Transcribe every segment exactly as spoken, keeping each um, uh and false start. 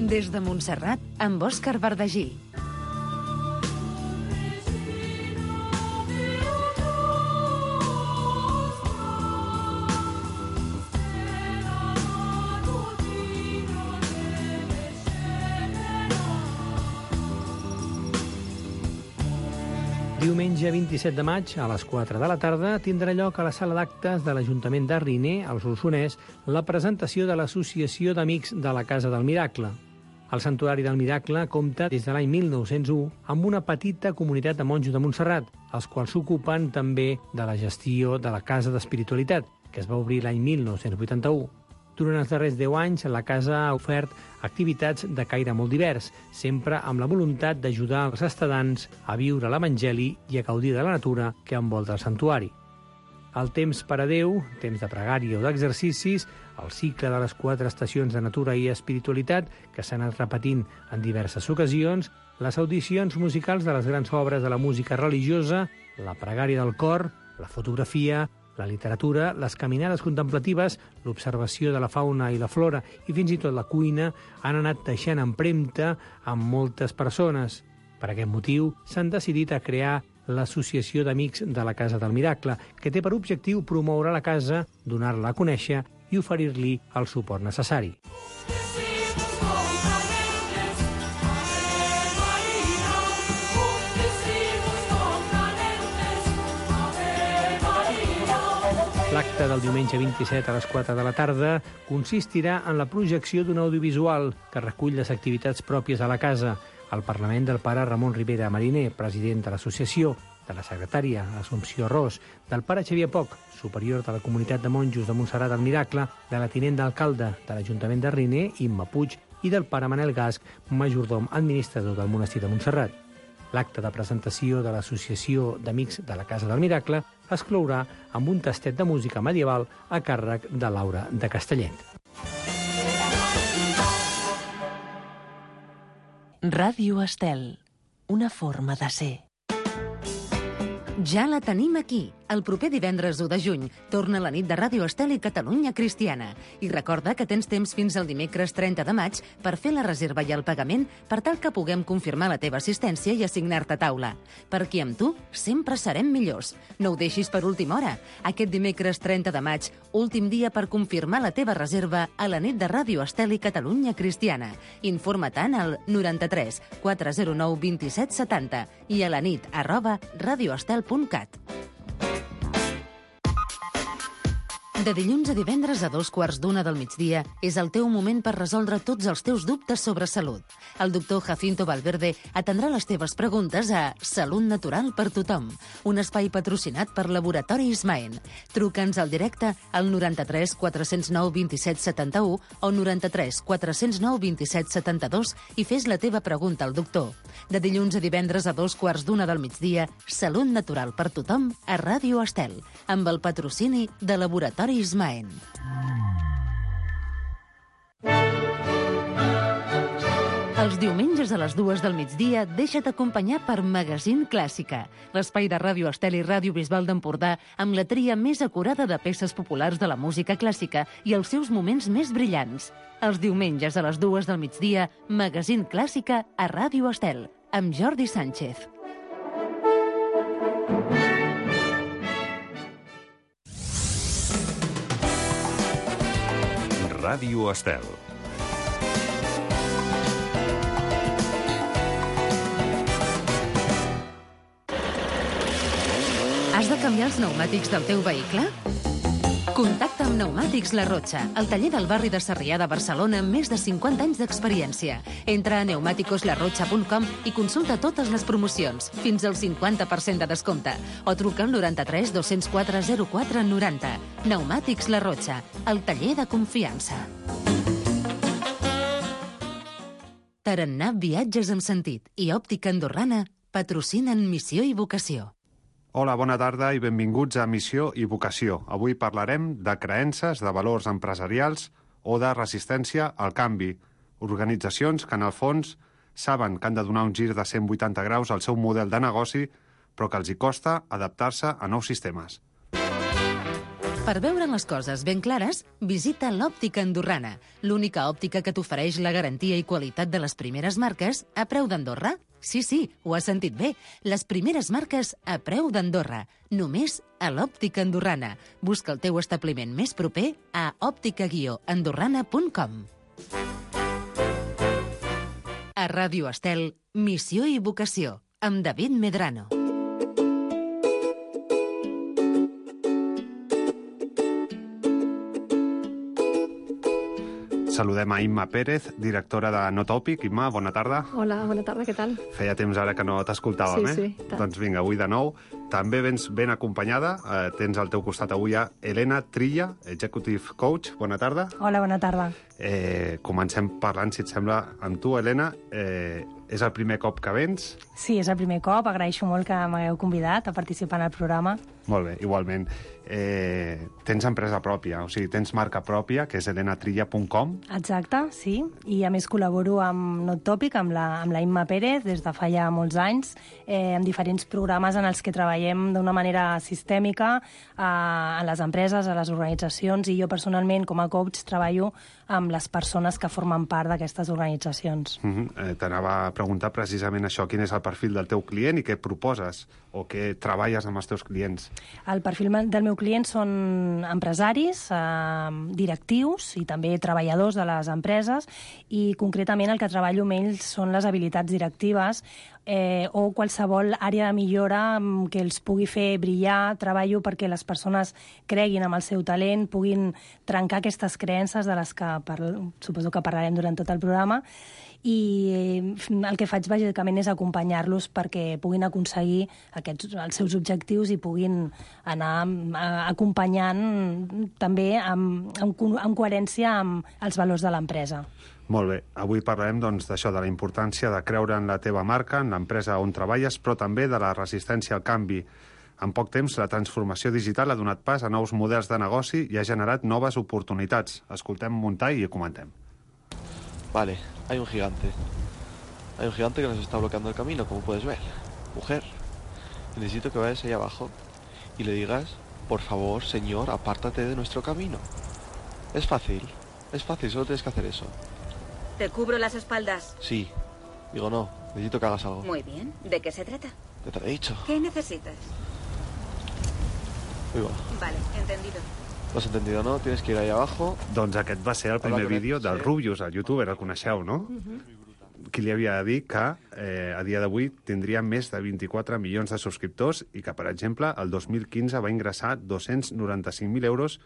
Des de Montserrat, amb Òscar Verdagí. Diumenge vint-i-set de maig, a les quatre de la tarda, tindrà lloc a la sala d'actes de l'Ajuntament de Riner, al Solsonès, la presentació de l'Associació d'Amics de la Casa del Miracle. El Santuari del Miracle compta des de l'any mil nou-cents u amb una petita comunitat de monjos de Montserrat, els quals s'ocupen també de la gestió de la Casa d'Espiritualitat, que es va obrir l'any mil nou-cents vuitanta-u. Durant els darrers deu anys, la casa ha ofert activitats de caire molt divers, sempre amb la voluntat d'ajudar els estadants a viure l'Evangeli i a gaudir de la natura que envolta el santuari. El temps per a Déu, temps de pregària o d'exercicis, el cicle de les quatre estacions de natura i espiritualitat, que s'han anat repetint en diverses ocasions, les audicions musicals de les grans obres de la música religiosa, la pregària del cor, la fotografia, la literatura, les caminades contemplatives, l'observació de la fauna i la flora i fins i tot la cuina han anat deixant empremta amb moltes persones. Per aquest motiu, s'han decidit a crear l'Associació d'Amics de la Casa del Miracle, que té per objectiu promoure la casa, donar-la a conèixer i oferir-li el suport necessari. L'acte del diumenge vint-i-set a les quatre de la tarda consistirà en la projecció d'un audiovisual que recull les activitats pròpies a la casa, el parlament del pare Ramon Ribera Mariner, president de l'associació, de la secretària Assumpció Ros, del pare Xavier Poch, superior de la comunitat de monjos de Montserrat del Miracle, de la tinent d'alcalde de l'Ajuntament de Riner, Imma Puig, i del pare Manel Gasc, majordom administrador del monestir de Montserrat. L'acte de presentació de l'Associació d'Amics de la Casa del Miracle es clourà amb un tastet de música medieval a càrrec de Laura de Castellet. Ràdio Estel, una forma de ser. Ja la tenim aquí. El proper divendres u de juny torna la nit de Ràdio Estel i Catalunya Cristiana. I recorda que tens temps fins al dimecres trenta de maig per fer la reserva i el pagament per tal que puguem confirmar la teva assistència i assignar-te taula. Perquè amb tu sempre serem millors. No ho deixis per última hora. Aquest dimecres trenta de maig, últim dia per confirmar la teva reserva a la nit de Ràdio Estel i Catalunya Cristiana. Informa-te'n al noranta-tres quatre zero nou dos set setanta i a la nit arroba radioestel punt cat. De dilluns a divendres a dos quarts d'una del migdia és el teu moment per resoldre tots els teus dubtes sobre salut. El doctor Jacinto Valverde atendrà les teves preguntes a Salut Natural per Tothom, un espai patrocinat per Laboratori Ismaen. Truca'ns al directe al noranta-tres quatre zero nou dos set setanta-u o noranta-tres quatre zero nou dos set setanta-dos i fes la teva pregunta al doctor. De dilluns a divendres a dos quarts d'una del migdia, Salut Natural per Tothom a Ràdio Estel, amb el patrocini de Laboratori Ismaen. Els diumenges a les dues del migdia deixa't acompanyar per Magazine Clàssica, l'espai de Ràdio Estel i Ràdio Bisbal d'Empordà amb la tria més acurada de peces populars de la música clàssica i els seus moments més brillants. Els diumenges a les dues del migdia, Magazine Clàssica a Ràdio Estel, amb Jordi Sánchez. Ràdio Estel. Has de canviar els pneumàtics del teu vehicle? Contacta amb Pneumàtics La Rocha, el taller del barri de Sarrià de Barcelona amb més de cinquanta anys d'experiència. Entra a pneumáticos la rocha punt com i consulta totes les promocions, fins al cinquanta per cent de descompte. O truca al noranta-tres dos cents quatre zero quatre noranta. Pneumàtics La Rocha, el taller de confiança. Tarannà Viatges amb Sentit i Òptica Andorrana patrocinen Missió i Vocació. Hola, bona tarda i benvinguts a Missió i Vocació. Avui parlarem de creences, de valors empresarials o de resistència al canvi. Organitzacions que, en el fons, saben que han de donar un gir de cent vuitanta graus al seu model de negoci, però que els hi costa adaptar-se a nous sistemes. Per veure les coses ben clares, visita l'Òptica Andorrana, l'única òptica que t'ofereix la garantia i qualitat de les primeres marques a preu d'Andorra. Sí, sí, ho has sentit bé. Les primeres marques a preu d'Andorra. Només a l'Òptica Andorrana. Busca el teu establiment més proper a òptica guió andorrana punt com. A Ràdio Estel, Missió i Vocació, amb David Medrano. Saludem a Imma Pérez, directora de No Tòpic. Imma, bona tarda. Hola, bona tarda, què tal? Feia temps ara que no t'escoltàvem, sí, eh? Sí, sí. Doncs vinga, avui de nou. També vens ben acompanyada. Eh, tens al teu costat avui a Elena Trilla, Executive Coach. Bona tarda. Hola, bona tarda. Eh, comencem parlant, si et sembla, amb tu, Elena. Eh, és el primer cop que vens? Sí, és el primer cop. Agraeixo molt que m'hagueu convidat a participar en el programa. Molt bé, igualment. Eh, tens empresa pròpia, o sigui, tens marca pròpia, que és elena trilla punt com. Exacte, sí. I a més col·laboro amb No Tòpic, amb la, amb la Imma Pérez, des de fa ja molts anys, eh, amb diferents programes en els que treballem d'una manera sistèmica a, a les empreses, a les organitzacions, i jo personalment, com a coach, treballo amb les persones que formen part d'aquestes organitzacions. Uh-huh. eh, T'anava a preguntar precisament això, quin és el perfil del teu client i què proposes o què treballes amb els teus clients. El perfil del meu client són empresaris, eh, directius i també treballadors de les empreses, i concretament el que treballo amb ells són les habilitats directives eh, o qualsevol àrea de millora que els pugui fer brillar. Treballo perquè les persones creguin en el seu talent, puguin trencar aquestes creences de les que parlo, suposo que parlarem durant tot el programa, i el que faig bàsicament és acompanyar-los perquè puguin aconseguir aquests, els seus objectius i puguin anar acompanyant també amb, amb, amb coherència amb els valors de l'empresa. Molt bé. Avui parlarem doncs, d'això, de la importància de creure en la teva marca, en l'empresa on treballes, però també de la resistència al canvi. En poc temps, la transformació digital ha donat pas a nous models de negoci i ha generat noves oportunitats. Escoltem muntar i comentem. Vale, hay un gigante. Hay un gigante que nos está bloqueando el camino, como puedes ver. Mujer, necesito que vayas ahí abajo y le digas, por favor, señor, apártate de nuestro camino. Es fácil, es fácil, solo tienes que hacer eso. ¿Te cubro las espaldas? Sí. Digo, no, necesito que hagas algo. Muy bien. ¿De qué se trata? ¿Qué te lo he dicho? ¿Qué necesitas? Uy, va. Vale, entendido. ¿Lo has entendido, no? Tienes que ir ahí abajo. Doncs aquest va ser el primer vídeo del Rubius, el youtuber, el coneixeu, no? Uh-huh. Qui li havia de dir que eh, a dia d'avui tindria més de vint-i-quatre milions de subscriptors i que, per exemple, el dos mil quinze va ingressar dos-cents noranta-cinc mil euros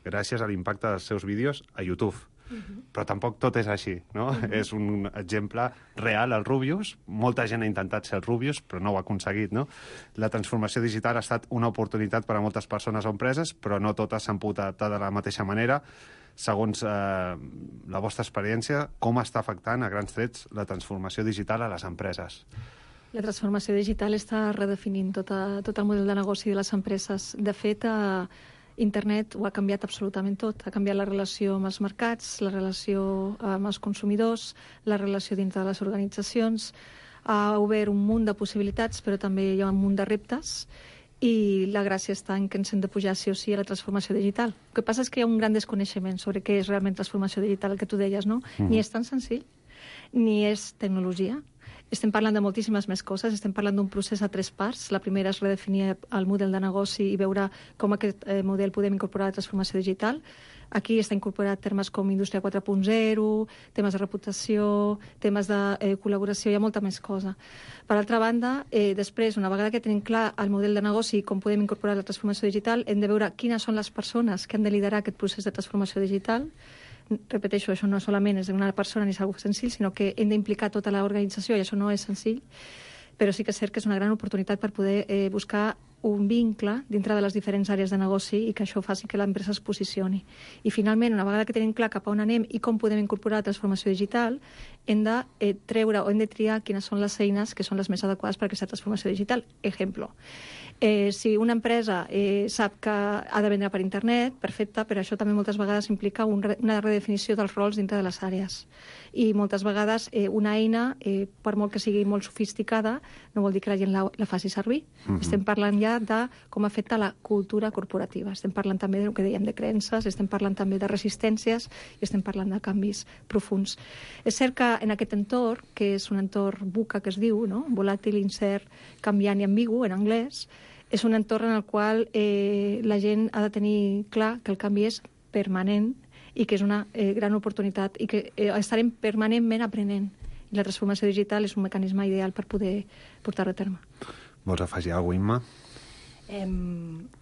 gràcies a l'impacte dels seus vídeos a YouTube. Uh-huh. Però tampoc tot és així, no? Uh-huh. És un exemple real, el Rubius. Molta gent ha intentat ser el Rubius, però no ho ha aconseguit, no? La transformació digital ha estat una oportunitat per a moltes persones o empreses, però no totes s'han pogut adaptar de la mateixa manera. Segons eh, la vostra experiència, com està afectant a grans trets la transformació digital a les empreses? La transformació digital està redefinint tot, a, tot el model de negoci de les empreses. De fet, a Internet ho ha canviat absolutament tot. Ha canviat la relació amb els mercats, la relació amb els consumidors, la relació dintre de les organitzacions. Ha obert un munt de possibilitats, però també hi ha un munt de reptes, i la gràcia està en que ens hem de pujar sí o sí a la transformació digital. El que passa és que hi ha un gran desconeixement sobre què és realment transformació digital, el que tu deies, no? Mm. Ni és tan senzill, ni és tecnologia. Estem parlant de moltíssimes més coses, estem parlant d'un procés a tres parts. La primera és redefinir el model de negoci i veure com aquest eh, model podem incorporar a la transformació digital. Aquí està incorporat termes com indústria quatre punt zero, temes de reputació, temes de eh, col·laboració, hi ha molta més cosa. Per altra banda, eh, després, una vegada que tenim clar el model de negoci i com podem incorporar la transformació digital, hem de veure quines són les persones que han de liderar aquest procés de transformació digital. Repeteixo, això no solament és una persona ni és algo senzill, sinó que hem d'implicar tota l'organització i això no és senzill, però sí que és cert que és una gran oportunitat per poder eh, buscar un vincle dintre de les diferents àrees de negoci i que això faci que l'empresa es posicioni. I finalment, una vegada que tenim clar cap a on anem i com podem incorporar la transformació digital, hem de eh, treure o hem de triar quines són les eines que són les més adequades per a aquesta transformació digital. Ejemplo, eh, si una empresa eh, sap que ha de vendre per internet, perfecte, però això també moltes vegades implica un re, una redefinició dels rols dintre de les àrees. I moltes vegades eh, una eina, eh, per molt que sigui molt sofisticada, no vol dir que la gent la, la faci servir. Mm-hmm. Estem parlant ja enllà de com afecta la cultura corporativa. Estem parlant també del que dèiem de creences, estem parlant també de resistències i estem parlant de canvis profuns. És cert que en aquest entorn, que és un entorn VUCA que es diu, no? Volàtil, incert, canviant i ambigu en anglès, és un entorn en el qual eh, la gent ha de tenir clar que el canvi és permanent i que és una eh, gran oportunitat i que eh, estarem permanentment aprenent. I la transformació digital és un mecanisme ideal per poder portar-ho a terme. Vols afegir alguna cosa, Imma? Eh,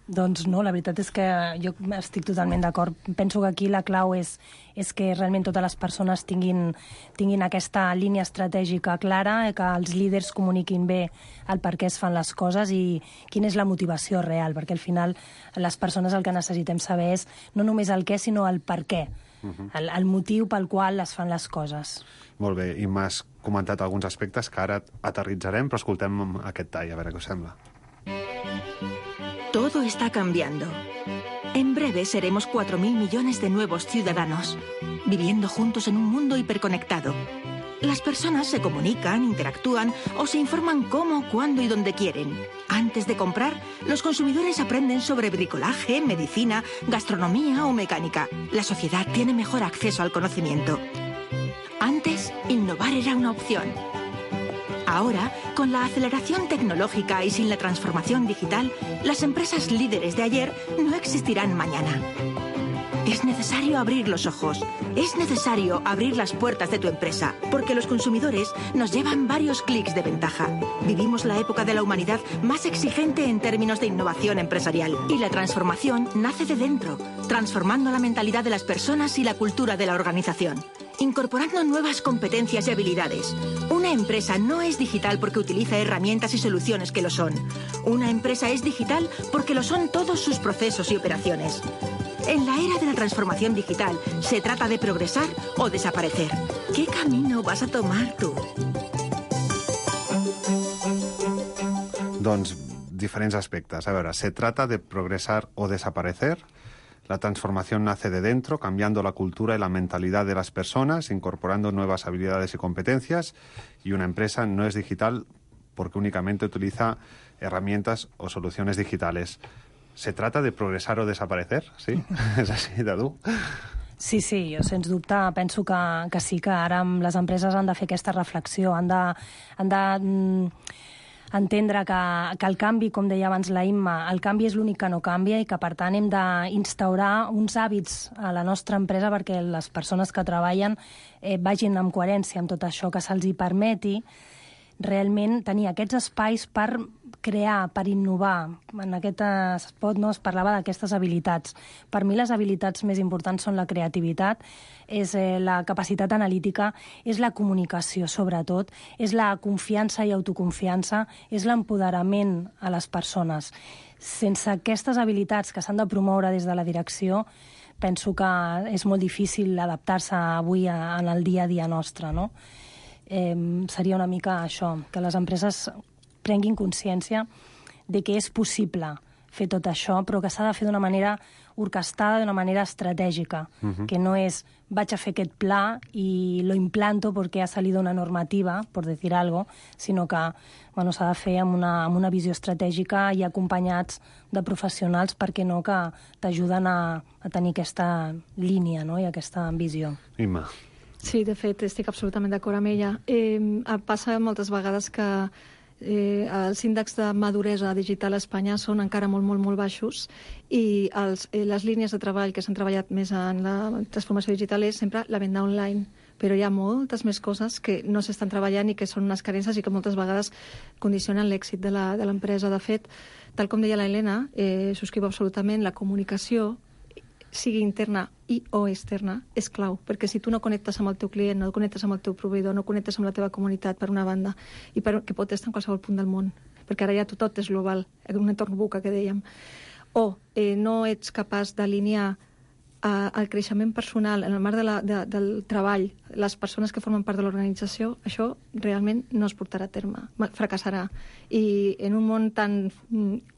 doncs no, la veritat és que jo estic totalment d'acord. Penso que aquí la clau és, és que realment totes les persones tinguin, tinguin aquesta línia estratègica clara, que els líders comuniquin bé el per què es fan les coses i quina és la motivació real, perquè al final les persones el que necessitem saber és no només el què, sinó el per què. Uh-huh. el, el motiu pel qual es fan les coses. Molt bé, i m'has comentat alguns aspectes que ara aterritzarem, però escoltem aquest tall, a veure què us sembla. Todo está cambiando. En breve seremos cuatro mil millones de nuevos ciudadanos, viviendo juntos en un mundo hiperconectado. Las personas se comunican, interactúan o se informan cómo, cuándo y dónde quieren. Antes de comprar, los consumidores aprenden sobre bricolaje, medicina, gastronomía o mecánica. La sociedad tiene mejor acceso al conocimiento. Antes, innovar era una opción. Ahora, con la aceleración tecnológica y sin la transformación digital, las empresas líderes de ayer no existirán mañana. Es necesario abrir los ojos. Es necesario abrir las puertas de tu empresa, porque los consumidores nos llevan varios clics de ventaja. Vivimos la época de la humanidad más exigente en términos de innovación empresarial. Y la transformación nace de dentro, transformando la mentalidad de las personas y la cultura de la organización, incorporando nuevas competencias y habilidades. Una empresa no es digital porque utiliza herramientas y soluciones que lo son. Una empresa es digital porque lo son todos sus procesos y operaciones. En la era de la transformación digital, se trata de progresar o desaparecer. ¿Qué camino vas a tomar tú? Doncs diferents aspectes. A veure, se trata de progresar o desaparecer. La transformación nace de dentro, cambiando la cultura y la mentalidad de las personas, incorporando nuevas habilidades y competencias. Y una empresa no es digital porque únicamente utiliza herramientas o soluciones digitales. ¿Se trata de progresar o desaparecer? Sí? És així, de dur? Sí, sí, jo sens dubte penso que, que sí, que ara les empreses han de fer aquesta reflexió, han de, han de mm, entendre que, que el canvi, com deia abans la Imma, el canvi és l'únic que no canvia i que, per tant, hem d'instaurar uns hàbits a la nostra empresa perquè les persones que treballen eh, vagin amb coherència amb tot això, que se'ls hi permeti realment tenir aquests espais per crear, per innovar. En aquest spot no es parlava d'aquestes habilitats. Per mi les habilitats més importants són la creativitat, és eh, la capacitat analítica, és la comunicació, sobretot, és la confiança i autoconfiança, és l'empoderament a les persones. Sense aquestes habilitats que s'han de promoure des de la direcció, penso que és molt difícil adaptar-se avui a, en el dia a dia nostre, no? Eh, seria una mica això, que les empreses prenguin consciència de que és possible fer tot això, però que s'ha de fer d'una manera orquestada, d'una manera estratègica, uh-huh. que no és vaig a fer aquest pla i lo implanto perquè ha salido una normativa, per dir algo, sinó que bueno, s'ha de fer amb una, amb una visió estratègica i acompanyats de professionals, perquè no, que t'ajuden a, a tenir aquesta línia, no? I aquesta visió. Imma. Sí, de fet, estic absolutament d'acord amb ella. Eh, passa moltes vegades que eh, els índexs de maduresa digital a Espanya són encara molt, molt, molt baixos i els, eh, les línies de treball que s'han treballat més en la transformació digital és sempre la venda online, però hi ha moltes més coses que no s'estan treballant i que són unes carències i que moltes vegades condicionen l'èxit de l'empresa. De fet, tal com deia la Helena, eh, subscriu absolutament la comunicació, sigui interna i o externa, és clau, perquè si tu no connectes amb el teu client, no connectes amb el teu proveïdor, no connectes amb la teva comunitat, per una banda, i per, que pot estar en qualsevol punt del món, perquè ara ja tot és global, en un entorn VUCA que dèiem, o eh, no ets capaç d'alinear eh, el creixement personal en el marc de la, de, del treball, les persones que formen part de l'organització, això realment no es portarà a terme, fracassarà. I en un món tan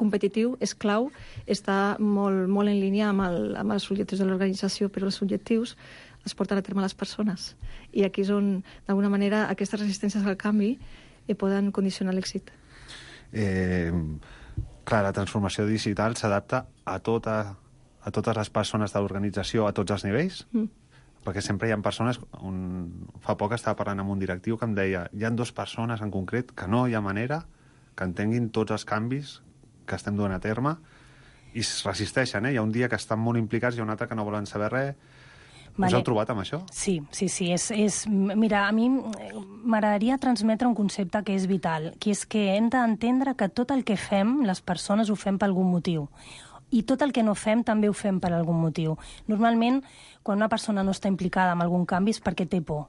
competitiu és clau estar molt, molt en línia amb, el, amb els objectius de l'organització, però els objectius es porten a terme a les persones. I aquí és on, d'alguna manera, aquestes resistències al canvi eh, poden condicionar l'èxit. Eh, Clar, la transformació digital s'adapta a, tota, a totes les persones de l'organització a tots els nivells? Mm. Perquè sempre hi ha persones... Un, fa poc estava parlant amb un directiu que em deia hi ha dues persones en concret que no hi ha manera que entenguin tots els canvis que estem duent a terme i es resisteixen, eh? Hi ha un dia que estan molt implicats i un altre que no volen saber res. Vale. Us heu trobat amb això? Sí, sí, sí. És, és, mira, a mi m'agradaria transmetre un concepte que és vital, que és que hem d'entendre que tot el que fem, les persones ho fem per algun motiu. I tot el que no fem també ho fem per algun motiu. Normalment, quan una persona no està implicada en algun canvi és perquè té por.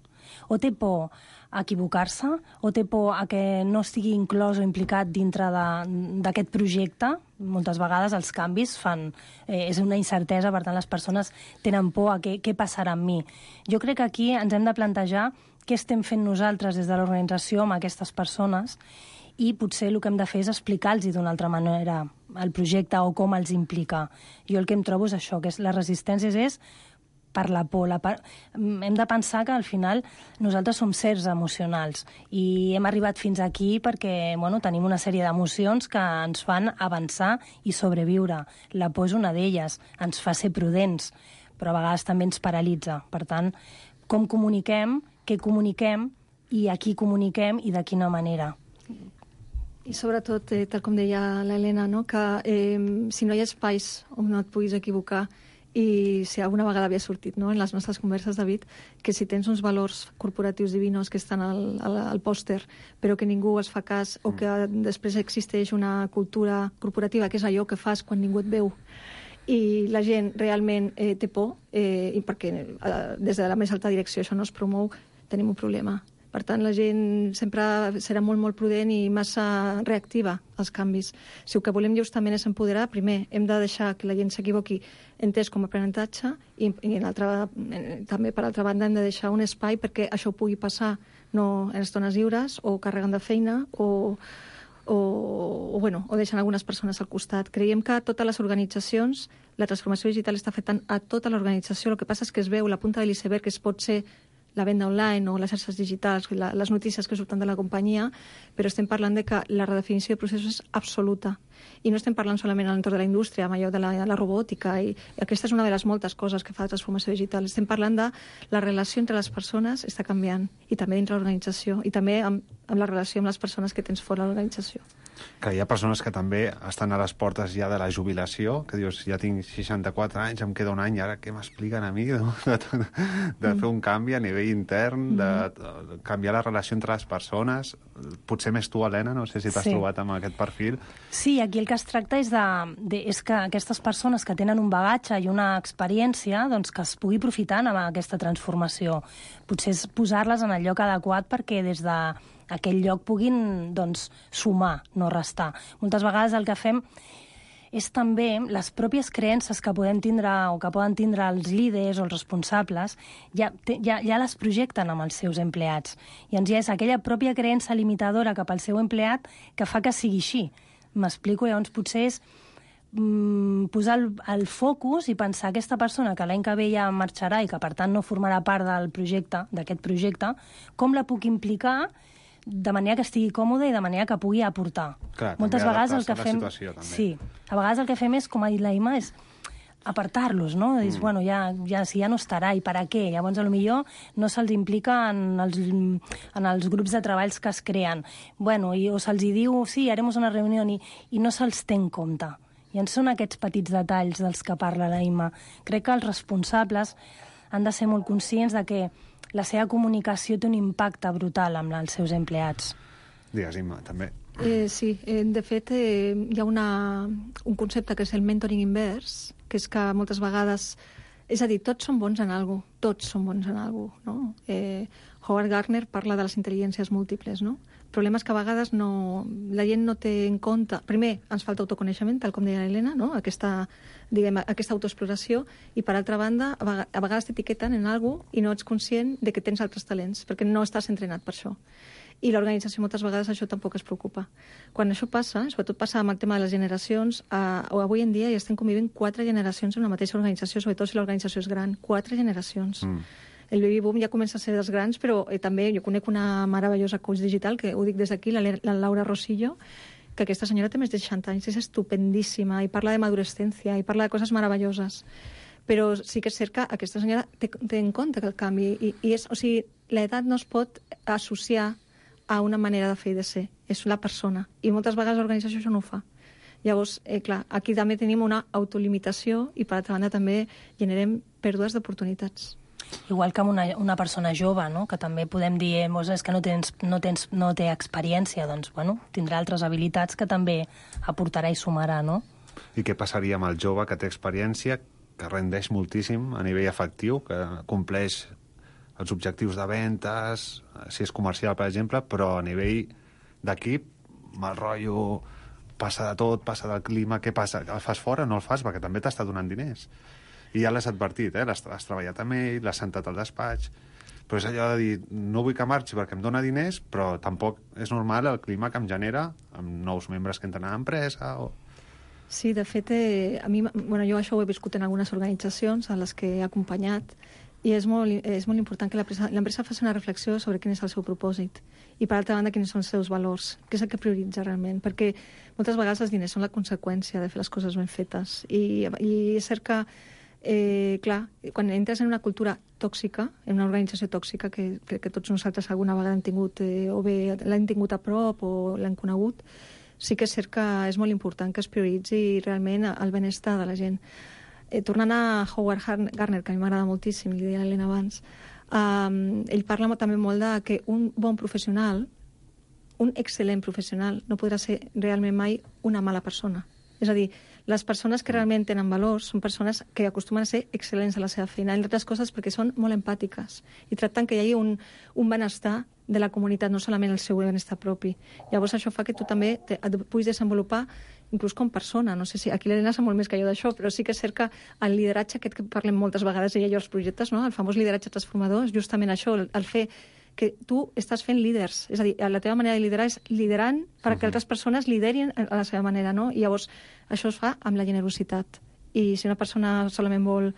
O té por a equivocar-se, o té por a que no estigui inclòs o implicat dintre d'aquest projecte. Moltes vegades els canvis fan... Eh, és una incertesa, per tant les persones tenen por a què, què passarà amb mi. Jo crec que aquí ens hem de plantejar què estem fent nosaltres des de l'organització amb aquestes persones i potser el que hem de fer és explicar-los d'una altra manera el projecte o com els implica. Jo el que em trobo és això, que és, les resistències és per la por. La par... Hem de pensar que al final nosaltres som sers emocionals i hem arribat fins aquí perquè bueno, tenim una sèrie d'emocions que ens fan avançar i sobreviure. La por és una d'elles, ens fa ser prudents, però a vegades també ens paralitza. Per tant, com comuniquem, què comuniquem i a qui comuniquem i de quina manera. I sobretot, eh, tal com deia l'Helena, no? que eh, si no hi ha espais on no et puguis equivocar, i si alguna vegada havia sortit no? en les nostres converses, David, que si tens uns valors corporatius divinos que estan al, al, al pòster, però que ningú es fa cas, o que després existeix una cultura corporativa, que és allò que fas quan ningú et veu, i la gent realment eh, té por, eh, i perquè eh, des de la més alta direcció això no es promou, tenim un problema. Per tant, la gent sempre serà molt, molt prudent i massa reactiva als canvis. Si el que volem justament és empoderar, primer hem de deixar que la gent s'equivoqui entès com a aprenentatge i, i en altra, en, també, per altra banda, hem de deixar un espai perquè això pugui passar no en estones lliures o carregant de feina o, o, o, bueno, o deixant algunes persones al costat. Creiem que a totes les organitzacions la transformació digital està afectant a tota l'organització. El que passa és que es veu la punta de l'iceberg, que es pot ser la venda online o les xarxes digitals, la, les notícies que surten de la companyia, però estem parlant de que la redefinició de processos és absoluta. I no estem parlant solament a l'entorn de la indústria, amb allò de la, de la robòtica, i, i aquesta és una de les moltes coses que fa la transformació digital. Estem parlant de la relació entre les persones està canviant, i també dintre l'organització, i també amb, amb la relació amb les persones que tens fora de l'organització. Que hi ha persones que també estan a les portes ja de la jubilació, que dius, ja tinc seixanta-quatre anys, em queda un any, ara què m'expliquen a mi de, de, de, de fer un canvi a nivell intern, de, de canviar la relació entre les persones? Potser més tu, Helena, no sé si t'has sí. trobat amb aquest perfil. Sí, aquí el que es tracta és, de, de, és que aquestes persones que tenen un bagatge i una experiència doncs, que es pugui aprofitar amb aquesta transformació. Potser és posar-les en el lloc adequat perquè des de aquell lloc puguin doncs, sumar, no restar. Moltes vegades el que fem és també les pròpies creences que podem tindre o que poden tindre els líders o els responsables, ja, ja, ja les projecten amb els seus empleats. I ens ja és aquella pròpia creença limitadora cap al seu empleat que fa que sigui així. M'explico, llavors potser és mm, posar el, el focus i pensar aquesta persona que l'any que ve ja marxarà i que per tant no formarà part del projecte, d'aquest projecte, com la puc implicar de manera que estigui còmode i de manera que pugui aportar. Clar, moltes vegades el que fem... Situació, sí, a vegades el que fem és, com ha dit la Imma, és apartar-los, no? Mm. Dius, bueno, ja, ja, si ja no estarà, i per a què? Llavors, potser no se'ls implica en els, en els grups de treballs que es creen. Bueno, i, o se'ls diu, sí, haremos una reunió, i, i no se'ls té en compte. I en són aquests petits detalls dels que parla la Imma. Crec que els responsables han de ser molt conscients de que la seva comunicació té un impacte brutal amb els seus empleats. Digues, Imma, també. Eh, sí, eh, de fet, eh, hi ha una, un concepte que és el mentoring invers, que és que moltes vegades... És a dir, tots són bons en alguna cosa, tots són bons en alguna cosa, no? Eh, Howard Gardner parla de les intel·ligències múltiples, no? El problema és que a vegades no, la gent no té en compte... Primer, ens falta autoconeixement, tal com deia l'Helena, no? Aquesta, diguem, aquesta autoexploració, i per altra banda, a vegades t'etiqueten en alguna cosa i no ets conscient de que tens altres talents, perquè no estàs entrenat per això. I l'organització moltes vegades això tampoc es preocupa. Quan això passa, sobretot passa amb el tema de les generacions, eh, avui en dia ja estem convivint quatre generacions en una mateixa organització, sobretot si l'organització és gran. Quatre generacions. Mm. El baby boom ja comença a ser dels grans, però eh, també jo conec una meravellosa coach digital, que ho dic des d'aquí, la, la Laura Rosillo, que aquesta senyora té més de seixanta anys, és estupendíssima, i parla de madurescència, i parla de coses meravelloses. Però sí que és cert que aquesta senyora té, té en compte que el canvi, i, i és, o sigui, l'edat no es pot associar a una manera de fer i de ser, és la persona, i moltes vegades l'organització això no ho fa. Llavors, eh, clar, aquí també tenim una autolimitació i, per altra banda, també generem pèrdues d'oportunitats. Igual que amb una, una persona jove, no? Que també podem dir, eh, és que no, tens, no, tens, no té experiència, doncs, bueno, tindrà altres habilitats que també aportarà i sumarà, no? I què passaria amb el jove que té experiència, que rendeix moltíssim a nivell efectiu, que compleix els objectius de ventes, si és comercial, per exemple, però a nivell d'equip, mal rotllo, passa de tot, passa del clima, què passa? El fas fora o no el fas? Perquè també t'està donant diners. I ja l'has advertit, eh? L'has, has treballat amb ell, l'has sentat al despatx, però és allò de dir, no vull que marxi perquè em dona diners, però tampoc és normal el clima que em genera amb nous membres que entren a l'empresa. O... Sí, de fet, eh, a mi, bueno, jo això ho he viscut en algunes organitzacions a les que he acompanyat, i és molt, és molt important que l'empresa faci una reflexió sobre quin és el seu propòsit i, per altra banda, quins són els seus valors, què és el que prioritza realment, perquè moltes vegades els diners són la conseqüència de fer les coses ben fetes. I, i és cert que Eh, clar, quan entres en una cultura tòxica, en una organització tòxica, que crec que tots nosaltres alguna vegada hem tingut, eh, o bé l'hem tingut a prop o l'hem conegut, sí que és cert que és molt important que es prioritzi realment el benestar de la gent. Eh, tornant a Howard Gardner, que a mi m'agrada moltíssim, li deia l'Helena abans, eh, ell parla també molt de que un bon professional, un excel·lent professional, no podrà ser realment mai una mala persona. És a dir, les persones que realment tenen valors són persones que acostumen a ser excel·lents a la seva feina, entre altres coses perquè són molt empàtiques i tracten que hi hagi un, un benestar de la comunitat, no solament el seu benestar propi. Llavors això fa que tu també te, et puguis desenvolupar inclús com persona. No sé si aquí l'Helena sap molt més que jo d'això, però sí que és cert que el lideratge aquest que parlem moltes vegades ella i jo als projectes, no? El famós lideratge transformador, és justament això, el, el fer que tu estàs fent líders. És a dir, la teva manera de liderar és liderant perquè altres persones liderin a la seva manera, no? I llavors això es fa amb la generositat. I si una persona solament vol,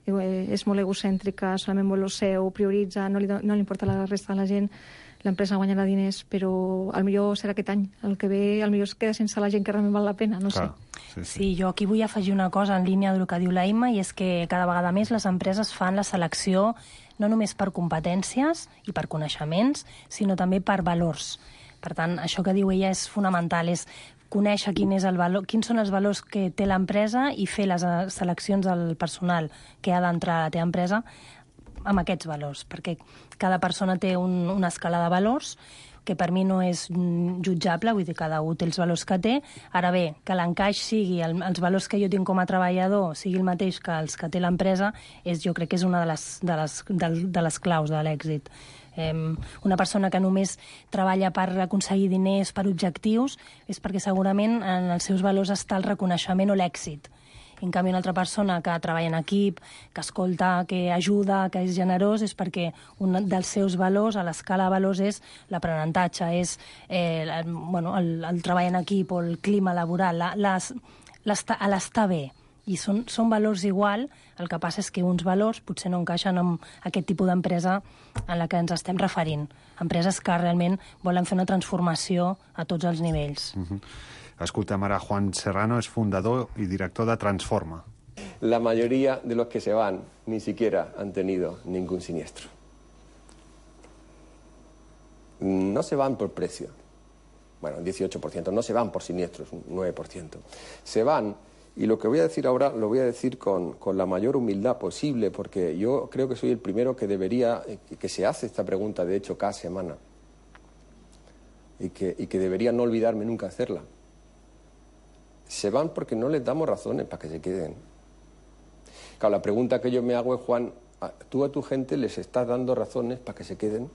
és molt egocèntrica, solament vol el seu, prioritza, no li, no li importa la resta de la gent, l'empresa guanyarà diners, però el millor serà aquest any. El que ve, el millor es queda sense la gent que realment val la pena, no Clar, sé. Sí, sí. Sí, jo aquí vull afegir una cosa en línia del que diu la Imma, i és que cada vegada més les empreses fan la selecció no només per competències i per coneixements, sinó també per valors. Per tant, això que diu ella és fonamental, és conèixer quin és el valor, quins són els valors que té l'empresa i fer les seleccions del personal que ha d'entrar a la teva empresa amb aquests valors, perquè cada persona té un, una escala de valors que per mi no és jutjable, vull dir, cada un té els valors que té. Ara bé, que l'encaix sigui, el, els valors que jo tinc com a treballador sigui el mateix que els que té l'empresa, és, jo crec que és una de les, de les, de, de les claus de l'èxit. Eh, una persona que només treballa per aconseguir diners, per objectius, és perquè segurament en els seus valors està el reconeixement o l'èxit. En canvi, una altra persona que treballa en equip, que escolta, que ajuda, que és generós, és perquè un dels seus valors, a l'escala de valors, és l'aprenentatge, és eh, el, bueno, el, el treball en equip o el clima laboral, l'estar bé. I són, són valors igual, el que passa és que uns valors potser no encaixen amb aquest tipus d'empresa en la que ens estem referint. Empreses que realment volen fer una transformació a tots els nivells. Uh-huh. Escoltem ara Juan Serrano, es fundador y director de Transforma. La mayoría de los que se van ni siquiera han tenido ningún siniestro. No se van por precio. Bueno, un dieciocho por ciento. No se van por siniestros, un nueve por ciento. Se van, y lo que voy a decir ahora lo voy a decir con, con la mayor humildad posible, porque yo creo que soy el primero que debería, que se hace esta pregunta, de hecho, cada semana. Y que, y que debería no olvidarme nunca hacerla. Se van porque no les damos razones para que se queden. Claro, la pregunta que yo me hago es, Juan, ¿tú a tu gente les estás dando razones para que se queden?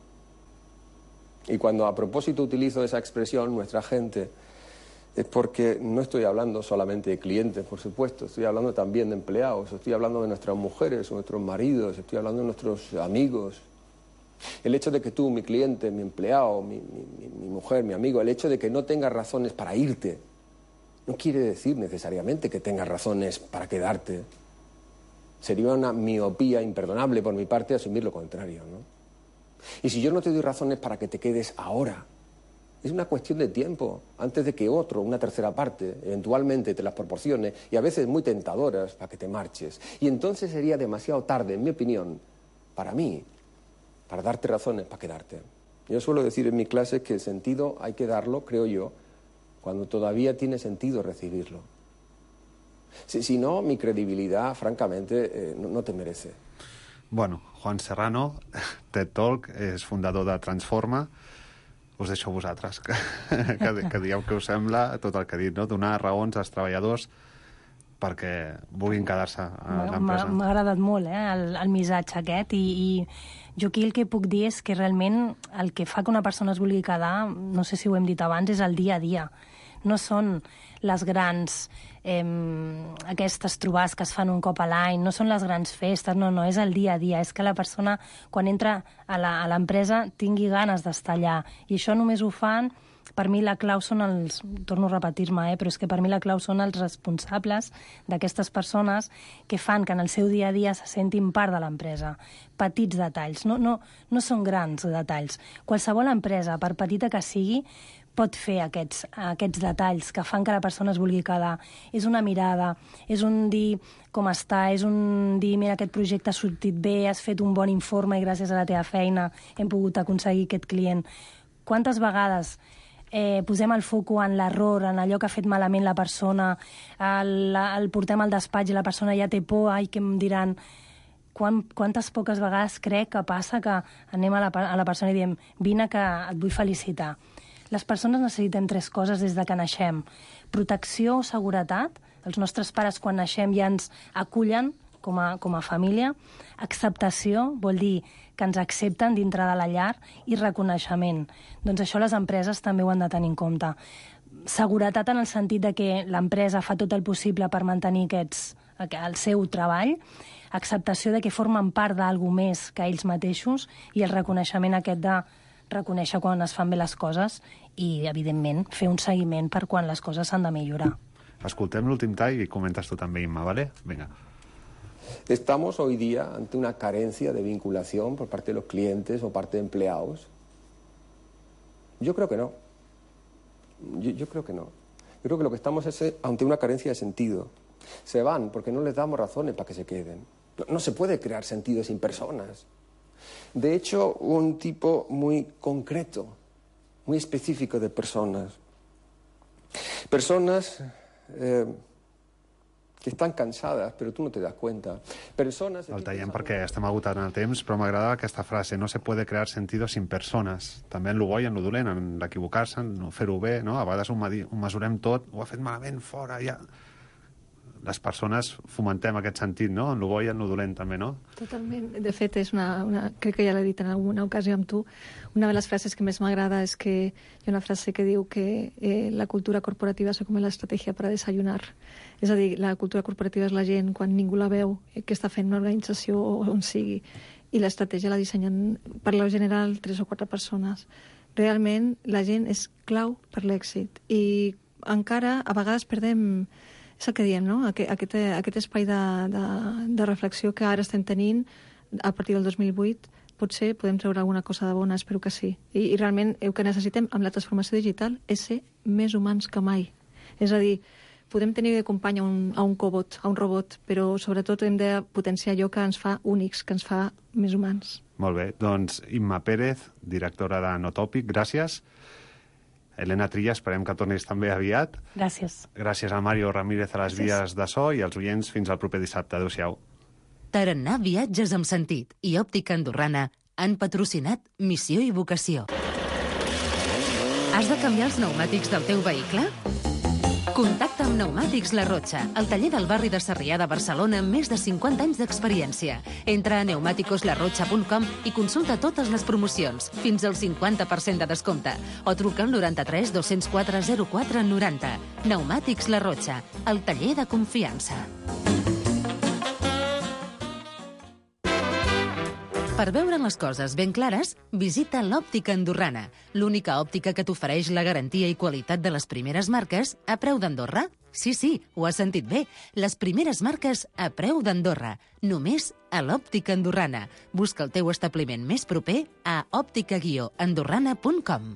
Y cuando a propósito utilizo esa expresión, nuestra gente, es porque no estoy hablando solamente de clientes, por supuesto, estoy hablando también de empleados, estoy hablando de nuestras mujeres, nuestros maridos, estoy hablando de nuestros amigos. El hecho de que tú, mi cliente, mi empleado, mi, mi, mi mujer, mi amigo, el hecho de que no tengas razones para irte, no quiere decir necesariamente que tengas razones para quedarte. Sería una miopía imperdonable por mi parte asumir lo contrario, ¿no? Y si yo no te doy razones para que te quedes ahora, Es una cuestión de tiempo, antes de que otro, una tercera parte, eventualmente te las proporcione, y a veces muy tentadoras para que te marches. Y entonces sería demasiado tarde, en mi opinión, para mí, para darte razones para quedarte. Yo suelo decir en mi clase que el sentido hay que darlo, creo yo, cuando todavía tiene sentido recibirlo. Si, si no, mi credibilidad, francamente, eh, no, no te merece. Bueno, Juan Serrano, TED Talk, és fundador de Transforma. Us deixo a vosaltres, que, que, que dieu què us sembla tot el que he dit, no? Donar raons als treballadors perquè vulguin quedar-se a l'empresa. M'ha agradat molt eh, el, el missatge aquest i, i jo aquí el que puc dir és que realment el que fa que una persona es vulgui quedar, no sé si ho hem dit abans, és el dia a dia. No són les grans, eh, aquestes trobades que es fan un cop a l'any, no són les grans festes, no, no, és el dia a dia. És que la persona, quan entra a l'empresa, tingui ganes d'estar allà. I això només ho fan, per mi la clau són els, torno a repetir-me, eh, però és que per mi la clau són els responsables d'aquestes persones que fan que en el seu dia a dia se sentin part de l'empresa. Petits detalls, no, no, no són grans detalls. Qualsevol empresa, per petita que sigui, pot fer aquests, aquests detalls que fan que la persona es vulgui quedar. És una mirada, és un dir com està, és un dir, mira, aquest projecte ha sortit bé, has fet un bon informe i gràcies a la teva feina hem pogut aconseguir aquest client. Quantes vegades eh, posem el foco en l'error, en allò que ha fet malament la persona, el, el portem al despatx i la persona ja té por, ai, què em diran... Quan, quantes poques vegades crec que passa que anem a la, a la persona i diem vine que et vull felicitar. Les persones necessitem tres coses des de que naixem. Protecció o seguretat. Els nostres pares, quan naixem, ja ens acullen com a, com a família. Acceptació vol dir que ens accepten dintre de la llar. I reconeixement. Doncs això les empreses també ho han de tenir en compte. Seguretat en el sentit de que l'empresa fa tot el possible per mantenir aquests, el seu treball. Acceptació de que formen part d'alguna més que ells mateixos. I el reconeixement aquest de reconèixer quan es fan bé les coses i, evidentment, fer un seguiment per quan les coses s'han de millorar. Escoltem l'últim tall i comentes tu també, Imma, ¿vale? Venga. ¿Estamos hoy día ante una carencia de vinculación por parte de los clientes o parte de empleados? Yo creo que no. Yo, yo creo que no. Yo creo que lo que estamos es ante una carencia de sentido. Se van porque no les damos razones para que se queden. No, no se puede crear sentido sin personas. De hecho, un tipo muy concreto, muy específico de personas. Personas eh, que estan cansades, però tu no te das cuenta. Persones... El tallem perquè estem agotant el temps, però m'agrada aquesta frase, no se puede crear sentido sin persones. També en lo bo i en lo dolent, en l'equivocar-se, en no fer-ho bé, no? A vegades ho, ho mesurem tot, ho ha fet malament, fora, ja... Les persones fomentem aquest sentit, no? En lo bo i en lo dolent, també, no? Totalment. De fet, és una, una, crec que ja l'he dit en alguna ocasió amb tu, una de les frases que més m'agrada és que hi ha una frase que diu que eh, la cultura corporativa és com l'estratègia per a desayunar. És a dir, la cultura corporativa és la gent quan ningú la veu, eh, que està fent una organització on sigui, i l'estratègia la dissenyen, per lo general, tres o quatre persones. Realment, la gent és clau per l'èxit. I encara, a vegades, perdem... És el que diem, no? Aquest, aquest, aquest espai de, de, de reflexió que ara estem tenint a partir del dos mil vuit, potser podem treure alguna cosa de bona, espero que sí. I, i realment el que necessitem amb la transformació digital és ser més humans que mai. És a dir, podem tenir de company a un, a un cobot, a un robot, però sobretot hem de potenciar allò que ens fa únics, que ens fa més humans. Molt bé, doncs Imma Pérez, directora de Notòpic, gràcies. Elena Trilla, esperem que tornis també aviat. Gràcies. Gràcies a Mario Ramírez a les Gràcies. Vies de so i als oients fins al proper dissabte. Adéu-siau. Tarannà Viatges amb Sentit i Òptica Andorrana han patrocinat Missió i Vocació. Has de canviar els pneumàtics del teu vehicle? Contacta amb Pneumàtics La Rocha, el taller del barri de Sarrià de Barcelona amb més de cinquanta anys d'experiència. Entra a pneumáticos la rocha punt com i consulta totes les promocions, fins al cinquanta per cent de descompte. O truca al noranta-tres dos-cents quatre zero quatre noranta. Pneumàtics La Rocha, el taller de confiança. Per veure les coses ben clares, visita l'Òptica Andorrana, l'única òptica que t'ofereix la garantia i qualitat de les primeres marques a preu d'Andorra. Sí, sí, ho has sentit bé. Les primeres marques a preu d'Andorra. Només a l'Òptica Andorrana. Busca el teu establiment més proper a òptica guió andorrana punt com.